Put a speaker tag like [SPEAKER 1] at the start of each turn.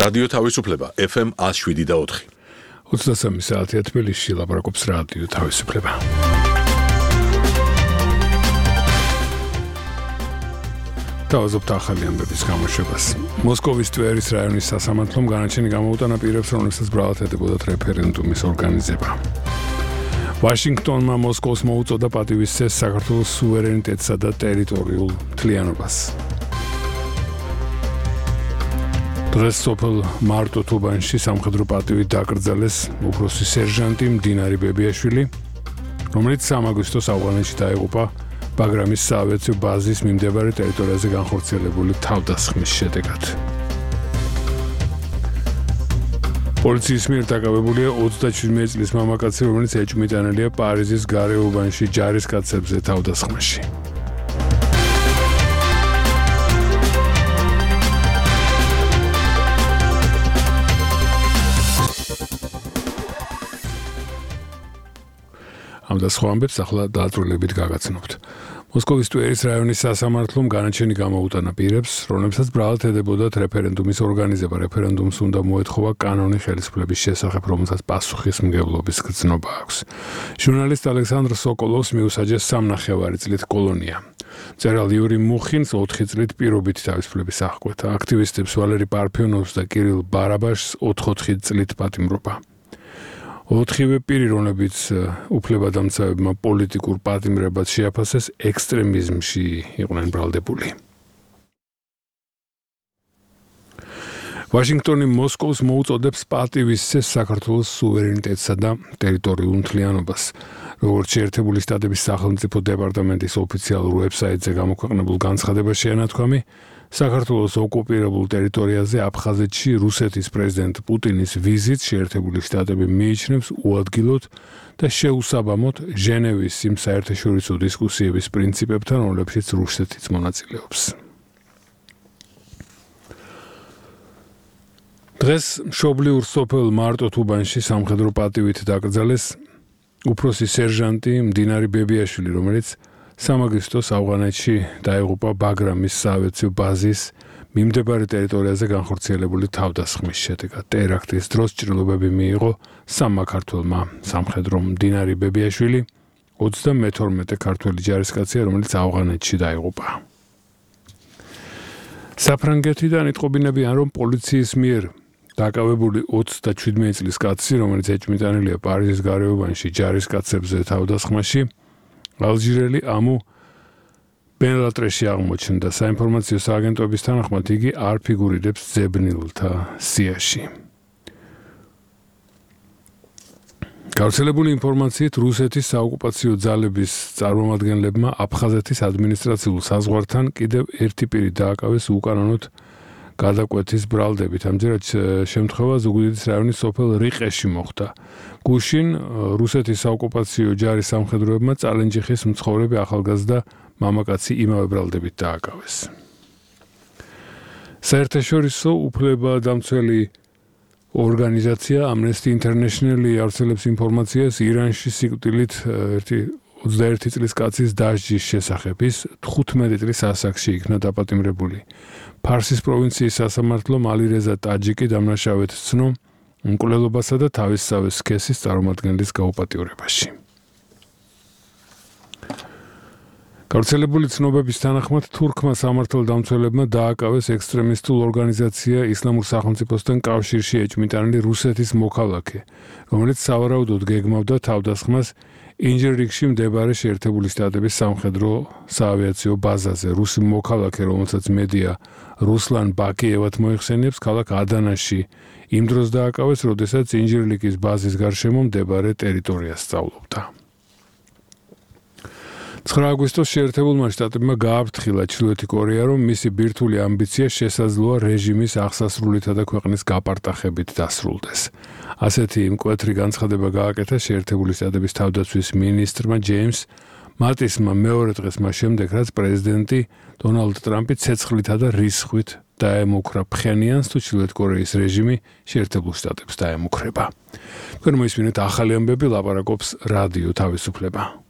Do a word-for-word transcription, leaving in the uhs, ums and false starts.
[SPEAKER 1] რადიო თავისუფლება ეფ ემ one oh seven და four.
[SPEAKER 2] ოცდასამი საათია თბილისში ლაპარაკობს რადიო თავისუფლება. თავაზობთ ახალი ამბების გამოშვებას. მოსკოვის ტვერის რაიონის სასამართლომ განაჩენი გამოუტანა პირებს, რომლებსაც ბრალად ედებოდათ რეფერენდუმის ორგანიზება. ვაშინგტონმა მოსკოვს მოუწოდა პატივისცეს საქართველოს სუვერენიტეტსა და ტერიტორიულ მთლიანობას. დღეს სოფელ მარტო-თუბანში სამხედრო პატივით დაკრძალეს უფროსი სერჟანტი მდინარი ბებიაშვილი, რომელიც სამი აგვისტოს ავღანეთში დაიღუპა ბაგრამის საავიაციო ბაზის მიმდებარე ტერიტორიაზე განხორციელებული თავდასხმის შედეგად. პოლიციის მიერ დაკავებულია ოცდაშვიდმეტი წლის მამაკაცი, რომელიც ეჭვმიტანილია პარიზის გარეუბანში ჯარისკაცებზე თავდასხმაში. ამ და სხვა ამბებს ახლა დააწვრილებით გაგაცნობთ. მოსკოვის ტვერის რაიონის სასამართლომ განაჩენი გამოუტანა პირებს, რომლებსაც ბრალად ედებოდათ რეფერენდუმის ორგანიზება. რეფერენდუმს უნდა მოეთხოვა კანონი ხელისუფლების შესახებ, რომელსაც პასუხისმგებლობის გრძნობა აქვს. ჟურნალისტ ალექსანდრ სოკოლოვს მიუსაჯეს სამნახევარი წლით კოლონია. მწერალ იური მუხინს ოთხი წლით პირობითი თავისუფლების აღკვეთა. აქტივისტებს ვალერი პარფიონოვს და კირილ ბარაბაშს ოთხ-ოთხი წლით პატიმრობა. ოთხივე პირი, რომლებიც უფლებადამცავებმა პოლიტიკურ პატიმრებას შეაფასეს, ექსტრემიზმში იყვნენ ბრალდებული. ვაშინგტონი მოსკოვს მოუწოდებს პატივისცეს საქართველოს სუვერენიტეტსა და ტერიტორიულ მთლიანობას. როგორც შეერთებული შტატების სახელმწიფო დეპარტამენტის ოფიციალურ ვებსაიტზე გამოქვეყნებულ განცხადებაში ანათქვამი, საქართველოს ოკუპირებულ ტერიტორიაზე აფხაზეთში რუსეთის პრეზიდენტ პუტინის ვიზიტს შეერთებული შტატები მიიჩნევს უადგილოდ და შეუსაბამოდ ჟენევის იმ საერთაშორისო დისკუსიების პრინციპებთან, რომლებშიც რუსეთიც მონაწილეობს. დღეს მშობლიურ სოფელ მარტო-თუბანში სამხედრო პატივით დაკრძალეს უფროსი სერჟანტი მდინარი ბებიაშვილი, რომელიც სამი აგვისტოს ავღანეთში დაიღუპა ბაგრამის საავიაციო ბაზის მიმდებარე ტერიტორიაზე განხორციელებული თავდასხმის შედეგად. ტერაქტის დროს ჭრილობები მიიღო სამმა ქართველმა სამხედრომ. მდინარი ბებიაშვილი ოცდამეთორმეტე ქართველი ჯარისკაცია, რომელიც ავღანეთში დაიღუპა. საფრანგეთიდან იტყობინებიან, რომ პოლიციის მიერ დაკავებული ოცდაშვიდმეტი წლის კაცი, რომელიც ეჭვმიტანილია პარიზის გარეუბანში ჯარისკაცებზე თავდასხმაში, ალჟირელი ამუ ბენლატრეში აღმოჩნდა. საინფორმაციო სააგენტოების თანახმად იგი არ ფიგურირებს ძებნილთა სიაში. გავრცელებული ინფორმაციით რუსეთის საოკუპაციო ძალების წარმომადგენლებმა აფხაზეთის ადმინისტრაციულ საზღვართან კიდევ ერთი პირი დააკავეს უკანონოდ გადაკვეთის ბრალდებით. ამჯერად შემთხვევა ზუგდიდის რაიონის სოფელ რიყეში მოხდა. გუშინ რუსეთის საოკუპაციო ჯარის სამხედროებმა წალენჯიხის მცხოვრები ახალგაზრდა მამაკაცი იმავე ბრალდებით დააკავეს. საერთაშორისო უფლებადამცველი ორგანიზაცია Amnesty International იავრცელებს ინფორმაციას ირანში სიკვდილით ოცდაერთი წლის კაცის დასჯის შესახებ. ის თხუთმეტი წლის ასაკში იქნა დაპატიმრებული. ფარსის პროვინციის სასამართლომ ალირეზა ტაჯიკი დამნაშავედ ცნო მკვლელობასა და თავისსავე სქესის წარმომადგენლის გაუპატიურებაში. გავრცელებული ცნობების თანახმად თურქმა სამართალდამცველებმა დააკავეს ექსტრემისტულ ორგანიზაცია ისლამურ სახელმწიფოსთან კავშირში ეჭვმიტანილი რუსეთის მოქალაქე, რომელიც სავარაუდოდ გეგმავდა თავდასხმას ინჯერრიგში მდებარე შეერთებული შტატების სამხედრო საავიაციო ბაზაზე. რუსი მოქალაქე, რომელსაც მედია რუსლან ბაკიევად მოიხსენიებს, ქალაქ ადანაში იმ დროს დააკავეს, როდესაც ინჯერრიგის ბაზის გარშემო მდებარე ტერიტორიას სწავლობდა. ცხრა აგვისტოს შეერთებულმა შტატებმა გააფრთხილა ჩრდილოეთი კორეა, რომ მისი ბირთვული ამბიცია შესაძლოა რეჟიმის აღსასრულითა და ქვეყნის გაპარტახებით დასრულდეს. ასეთი მკვეთრი განცხადება გააკეთა შეერთებული შტატების თავდაცვის მინისტრმა ჯეიმს მატისმა მეორე დღეს მას შემდეგ, რაც პრეზიდენტი დონალდ ტრამპი ცეცხლითა და რისხვით დაემუქრა ფხენიანს, თუ ჩრდილოეთ კორეის რეჟიმი შეერთებულ შტატებს დაემუქრება. თქვენ მოისმინეთ ახალი ამბები, ლაპარაკობს რადიო თავისუფლება.